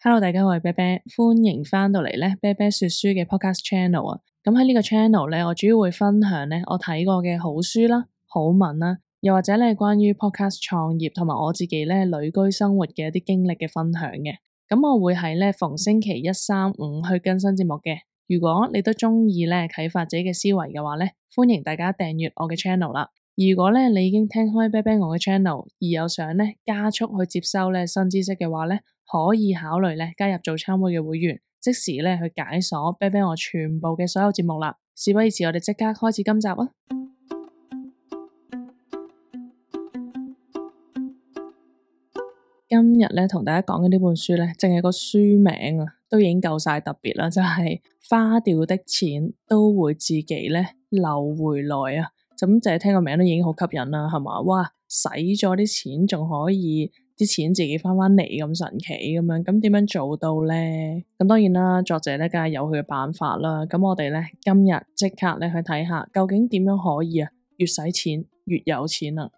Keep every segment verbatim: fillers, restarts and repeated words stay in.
Hello，大家好，我係啤啤，歡迎翻到嚟咧啤啤說書嘅 podcast channel 啊。咁喺呢個 channel 咧，我主要會分享咧我睇過嘅好書啦、好文啦，又或者咧關於 podcast 創業同埋我自己咧旅居生活嘅一啲經歷嘅分享嘅。咁我會喺咧逢星期一、三、五去更新節目嘅。如果你都中意咧啟發自己嘅思維嘅話咧，歡迎大家訂閱我嘅 channel 啦。如果咧你已經聽開啤啤我嘅 channel，而有想咧加速去接收咧新知識嘅話咧，可以考慮咧加入早餐會嘅會員，即時咧去解鎖啤啤我全部嘅所有節目啦。事不宜遲，我哋即刻開始今集啊！今日咧同大家講嘅呢本書咧，淨係個書名啊，都已經夠晒特別啦，就係花掉的錢都會自己咧流回來啊！咁淨係聽個名都已經好吸引啦，係嘛？哇，使咗啲錢仲可以啲錢自己翻返嚟咁神奇咁樣，咁點樣做到咧？咁當然啦，作者咧梗係有佢嘅辦法啦。咁我哋咧今日即刻咧去睇下，究竟點樣可以啊？越使錢越有錢啊！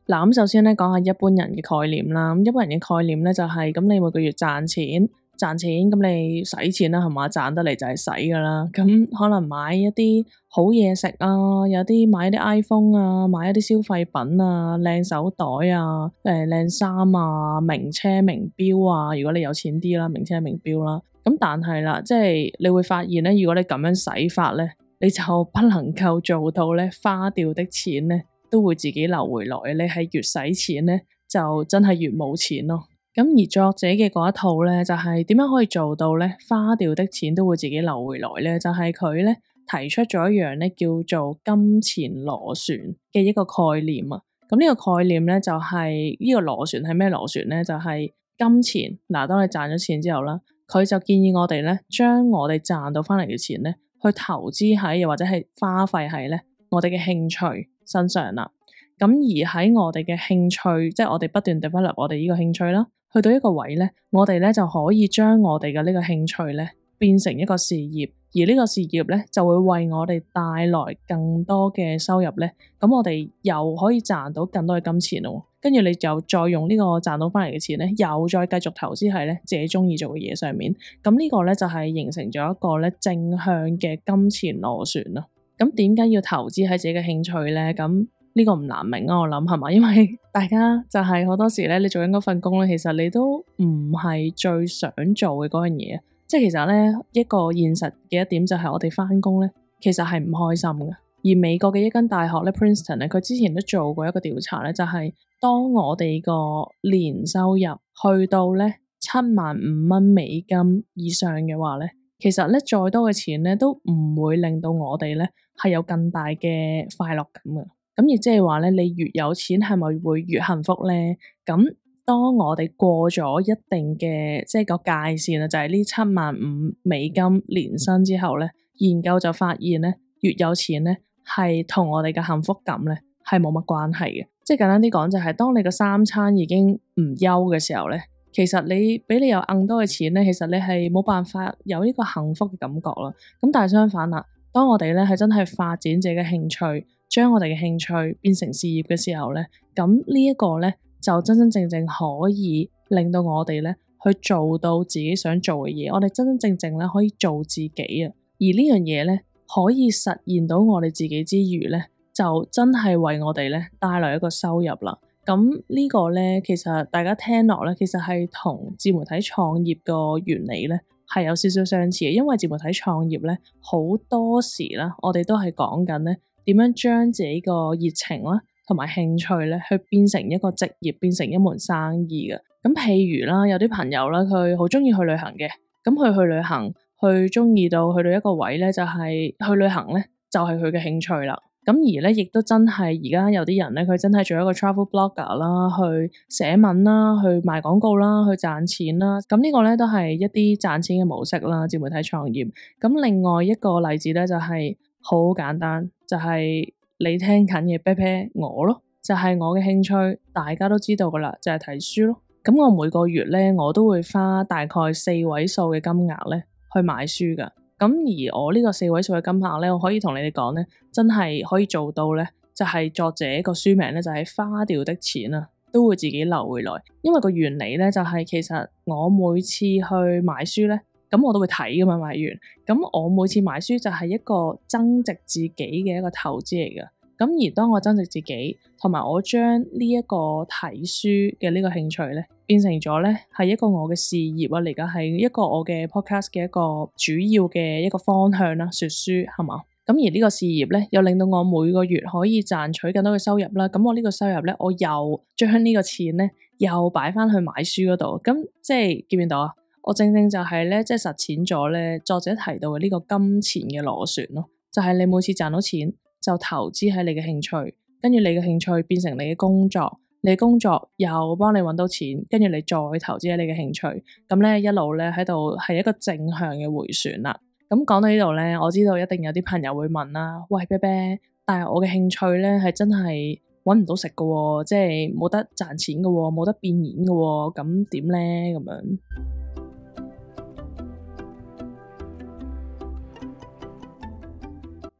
嗱，咁首先咧講下一般人嘅概念啦。咁一般人嘅概念咧就係、是、咁，你每個月賺錢。賺錢咁你使錢啦，係嘛？賺得嚟就係使噶啦。咁可能買一啲好嘢食啊，有啲買一啲 iPhone 啊，買一啲消費品啊，靚手袋啊，誒靚衫啊，名車名錶啊。如果你有錢啲啦，名車名錶啦。咁但係啦，即係你會發現咧，如果你咁樣使法咧，你就不能夠做到咧花掉的錢咧都會自己流回來。你係越使錢咧，就真係越冇錢咯。咁而作者嘅嗰一套咧，就係點樣可以做到咧花掉的錢都會自己流回來咧？就係佢咧提出咗一樣咧叫做金錢螺旋嘅一個概念啊。咁呢個概念咧就係呢個螺旋係咩螺旋咧？就係金錢嗱，當你賺咗錢之後啦，佢就建議我哋咧將我哋賺到翻嚟嘅錢咧去投資喺，又或者係花費喺咧我哋嘅興趣身上啦。咁而喺我哋嘅興趣，即係我哋不斷 develop 我哋呢個興趣啦。去到一個位咧，我哋咧就可以將我哋嘅呢個興趣咧變成一個事業，而呢個事業咧就會為我哋帶來更多嘅收入咧。咁我哋又可以賺到更多嘅金錢咯。跟住你就再用呢個賺到翻嚟嘅錢咧，又再繼續投資喺咧自己中意做嘅嘢上面。咁呢個咧就係形成咗一個咧正向嘅金錢螺旋咯。咁點解要投資喺自己嘅興趣咧？咁呢個唔難明啊，我諗係嘛，因為大家就係好多時咧，你做緊嗰份工咧，其實你都唔係最想做嘅嗰樣嘢。即係其實咧，一個現實嘅一點就係我哋翻工咧，其實係唔開心嘅。而美國嘅一間大學咧 Princeton 咧，佢之前都做過一個調查咧，就係當我哋個年收入去到咧七萬五蚊美金以上嘅話咧，其實咧再多嘅錢咧都唔會令到我哋咧係有更大嘅快樂感嘅。咁亦即係話咧，你越有錢係咪會越幸福咧？咁當我哋過咗一定嘅即係個界線啊，就係呢七萬五美金年薪之後咧，研究就發現咧，越有錢咧係同我哋嘅幸福感咧係冇乜關係嘅。即係簡單啲講，就係當你個三餐已經唔憂嘅時候咧，其實你俾你有更多嘅錢咧，其實你係冇辦法有呢個幸福嘅感覺啦。咁但係相反啦，當我哋咧係真係發展自己嘅興趣，將我哋嘅興趣變成事業嘅時候咧，咁呢一個咧就真真正正可以令到我哋咧去做到自己想做嘅嘢，我哋真真正正咧可以做自己啊！而呢樣嘢咧可以實現到我哋自己之餘咧，就真係為我哋咧帶來一個收入啦。咁呢個咧其實大家聽落咧，其實係同自媒體創業個原理咧係有少少相似嘅，因為自媒體創業咧好多時啦，我哋都係講緊咧。點樣將自己個熱情啦，同埋興趣咧，去變成一個職業，變成一門生意嘅。咁譬如啦，有啲朋友啦，佢好中意去旅行嘅。咁佢去旅行，去中意到去到一個位咧，就係去旅行咧，就係佢嘅興趣啦。咁而咧，亦都真係而家有啲人咧，佢真係做一個 travel blogger 啦，去寫文啦，去賣廣告啦，去賺錢啦。咁呢個咧都係一啲賺錢嘅模式啦，自媒體創業。咁另外一個例子咧，就係好簡單。就係你聽緊嘅啤啤我咯，就係、是、我嘅興趣，大家都知道噶啦，就係、是、睇書咯。咁我每個月咧，我都會花大概四位數嘅金額咧去買書噶。咁而我呢個四位數嘅金額咧，我可以同你哋講咧，真係可以做到咧，就係、是、作者個書名咧就係、是、花掉的錢啊，都會自己流回來。因為個原理咧就係、是、其實我每次去買書咧，咁我都會睇噶嘛，買完咁我每次買書就係一個增值自己嘅一個投資嚟噶。咁而當我增值自己，同埋我將呢一個睇書嘅呢個興趣咧，變成咗咧係一個我嘅事業啊，嚟緊係一個我嘅 podcast 嘅一個主要嘅一個方向啦，說書係嘛？咁而呢個事業咧，又令到我每個月可以賺取更多嘅收入啦。咁我呢個收入咧，我又將呢個錢咧，又擺翻去買書嗰度。咁即係見唔見到啊？我正正就係咧，即係實踐咗咧作者提到嘅呢個金錢嘅螺旋咯，就係你每次賺到錢，就投資喺你嘅興趣，跟住你嘅興趣變成你嘅工作，你嘅工作又幫你搵到錢，跟住你再投資喺你嘅興趣，咁咧一路咧喺度係一個正向嘅回旋啦。咁講到呢度咧，我知道一定有啲朋友會問啦，喂啤啤，但係我嘅興趣咧係真係搵唔到食㗎，即係冇得賺錢㗎，冇得變現㗎，咁點咧咁樣？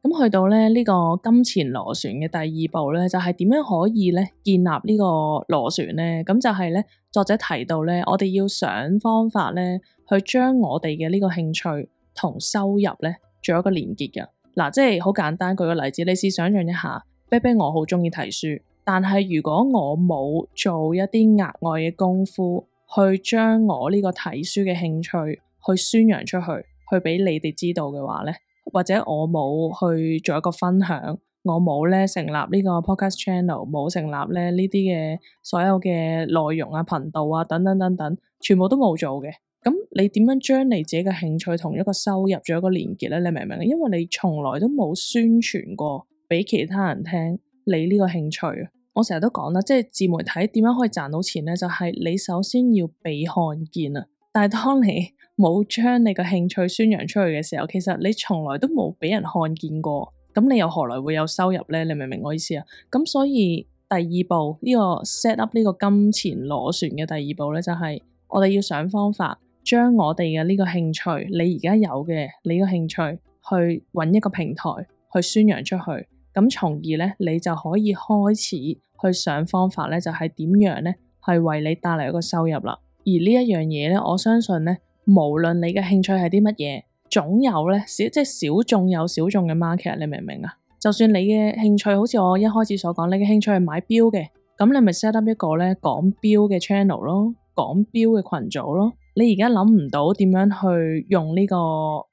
咁去到咧呢個金錢螺旋嘅第二步咧，就係點樣可以咧建立呢個螺旋咧？咁就係咧作者提到咧，我哋要想方法咧，去將我哋嘅呢個興趣同收入咧做一個連結嘅。嗱，即係好簡單，舉個例子，你試想象一下，啤啤我好中意睇書，但係如果我冇做一啲額外嘅功夫，去將我呢個睇書嘅興趣去宣揚出去，去俾你哋知道嘅話咧，或者我冇去做一個分享，我冇咧成立呢個 podcast channel， 冇成立咧呢啲嘅所有嘅內容啊、頻道啊等等等等，全部都冇做嘅。咁你點樣將你自己嘅興趣同一個收入做一個連結咧？你明唔明？因為你從來都冇宣傳過俾其他人聽你呢個興趣。我成日都講啦，即係自媒體點樣可以賺到錢咧？就係你首先要被看見啊！但係當你冇將你個興趣宣揚出去嘅時候，其實你從來都冇俾人看見過，咁你又何來會有收入咧？你明唔明我意思啊？咁所以第二步呢個 set up 呢個金錢螺旋嘅第二步咧，就係我哋要想方法將我哋嘅呢個興趣，你而家有嘅你個興趣，去揾一個平台去宣揚出去，咁從而咧你就可以開始去想方法咧，就係點樣咧係為你帶嚟一個收入啦。而呢一樣嘢咧，我相信咧，無論你嘅興趣係啲乜嘢，總有咧小即係小眾有小眾嘅 market， 你明唔明啊？就算你嘅興趣好似我一開始所講，你嘅興趣係買錶嘅，咁你咪 set up 一個咧講錶嘅 channel 咯，講錶嘅群組咯。你而家諗唔到點樣去用呢個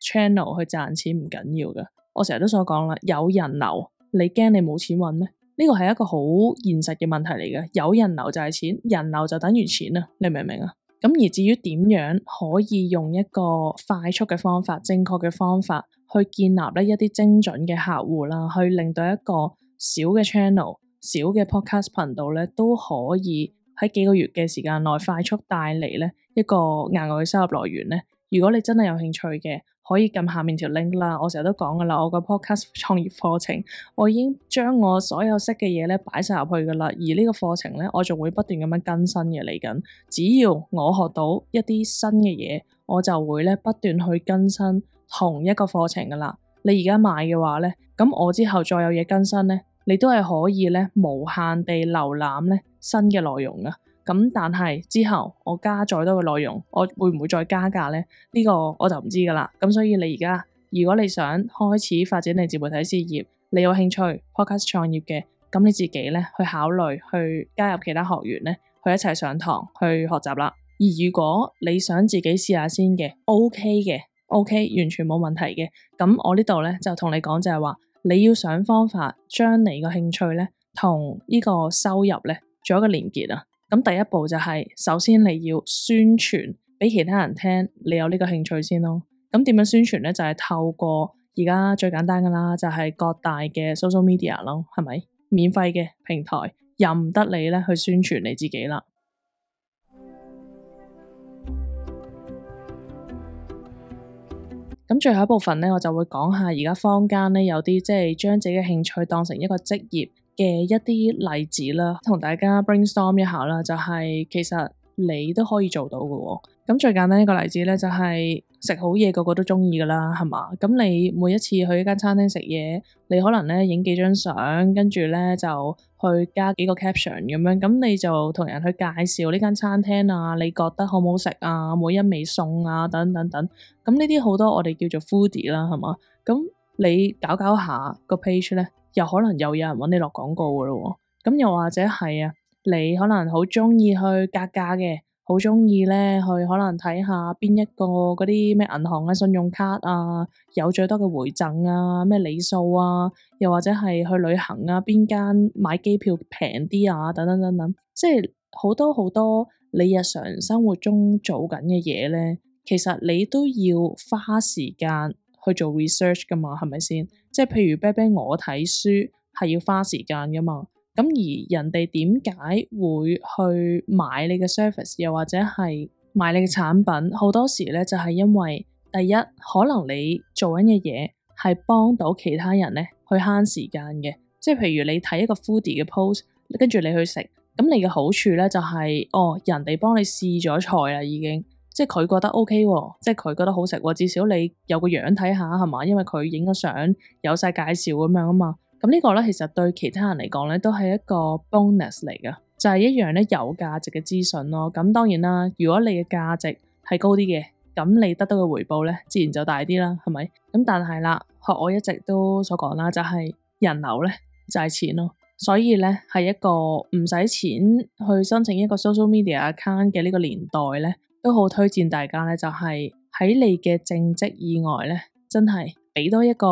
channel 去賺錢唔緊要㗎。我成日都所講啦，有人流，你驚你冇錢搵咩？呢個係一個好現實嘅問題嚟嘅。有人流就係錢，人流就等於錢啊！你明唔明啊？咁而至於點樣可以用一個快速嘅方法、正確嘅方法去建立呢一啲精準嘅客戶啦，去令到一個小嘅 channel、小嘅 podcast 頻道咧都可以喺幾個月嘅時間內快速帶嚟咧一個額外嘅收入來源咧。如果你真係有興趣嘅，可以撳下面條 link 啦。我成日都講噶啦，我個 podcast 創業課程，我已經將我所有識嘅嘢咧擺晒入去噶啦。而呢個課程咧，我仲會不斷咁樣更新嘅嚟緊。只要我學到一啲新嘅嘢，我就會咧不斷去更新同一個課程噶啦。你而家買嘅話咧，咁我之後再有嘢更新咧，你都係可以咧無限地瀏覽咧新嘅內容噶。咁但係之後我加再多嘅內容，我會唔會再加價咧？呢個我就唔知噶啦。咁所以你而家如果你想開始發展你自媒體事業，你有興趣 podcast 創業嘅，咁你自己咧去考慮去加入其他學員咧，去一齊上堂去學習啦。而如果你想自己試下先嘅 OK 嘅 OK 完全冇問題嘅，咁我呢度咧就同你講就係話，你要想方法將你個興趣咧同呢個收入咧做一個連結啊。咁第一步就係、是，首先你要宣傳俾其他人聽，你有呢個興趣先咯。咁點樣宣傳咧？就係、是、透過而家最簡單噶啦，就係、是、各大嘅 social media 咯，係咪？免費嘅平台，任得你咧去宣傳你自己啦。咁最後一部分咧，我就會講下而家坊間咧有啲即係將自己嘅興趣當成一個職業嘅一啲例子啦，同大家 brainstorm 一下啦，就係、是、其實你都可以做到嘅喎。咁最簡單一個例子咧，就係食好嘢個個都鍾意噶啦，係嘛？咁你每一次去一間餐廳食嘢，你可能咧影幾張相，跟住咧就去加幾個 caption 咁樣，咁你就同人去介紹呢間餐廳啊，你覺得好唔好食啊？每一味餸啊，等等等。咁呢啲好多我哋叫做 foodie 啦，係嘛？咁你搞搞下個 page 咧，又可能又有人揾你落廣告噶咯喎。咁又或者係啊，你可能好鍾意去格價嘅。好鍾意咧，去可能睇下邊一個嗰啲咩銀行嘅信用卡啊，有最多嘅回贈啊，咩里數啊，又或者係去旅行啊，邊間買機票平啲啊，等等等等，即係好多好多你日常生活中做緊嘅嘢咧，其實你都要花時間去做 research 噶嘛，係咪先？即係譬如啤啤我睇書係要花時間噶嘛。咁而人哋點解會去買你嘅 service， 又或者係買你嘅產品？好多時咧就係因為第一，可能你做緊嘅嘢係幫到其他人咧去慳時間嘅，即係譬如你睇一個 foodie 嘅 post，跟住你去食，咁你嘅好處咧就係哦，人哋幫你試咗菜啦已經，即係佢覺得 OK 喎，即係佢覺得好食喎，至少你有個樣睇下係嘛，因為佢影咗相有晒介紹咁樣啊嘛。咁呢個咧，其實對其他人嚟講咧，都係一個 bonus 嚟㗎，就係一樣咧有價值嘅資訊咯。咁當然啦，如果你嘅價值係高啲嘅，咁你得到嘅回報咧，自然就大啲啦，係咪？咁但係啦，學我一直都所講啦，就係人流咧就係錢咯。所以咧，係一個唔使錢去申請一個 social media account 嘅呢個年代咧，都好推薦大家咧，就係喺你嘅正職以外咧，真係俾多一個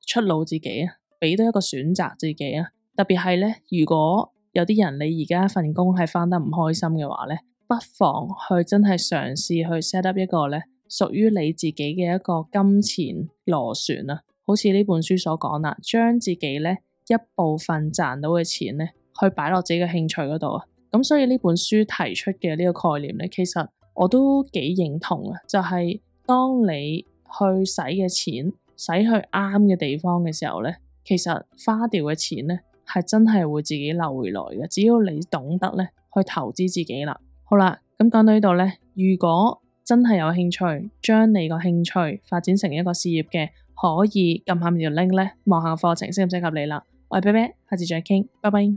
出路自己啊！俾多一個選擇自己啊！特別係咧，如果有啲人你而家份工係返得唔開心嘅話咧，不妨去真係嘗試去 set up 一個咧屬於你自己嘅一個金錢螺旋啊！好似呢本書所講啦，將自己咧一部分賺到嘅錢咧，去擺落自己嘅興趣嗰度啊！咁所以呢本書提出嘅呢個概念咧，其實我都幾認同啊！就係當你去使嘅錢使去啱嘅地方嘅時候咧，其實花掉嘅錢咧，係真係會自己流回來嘅。只要你懂得咧去投資自己啦。好啦，咁講到呢度咧，如果真係有興趣將你個興趣發展成一個事業嘅，可以撳下面條 link 咧，望下課程適唔適合你啦。我係啤啤，下次再傾，拜拜。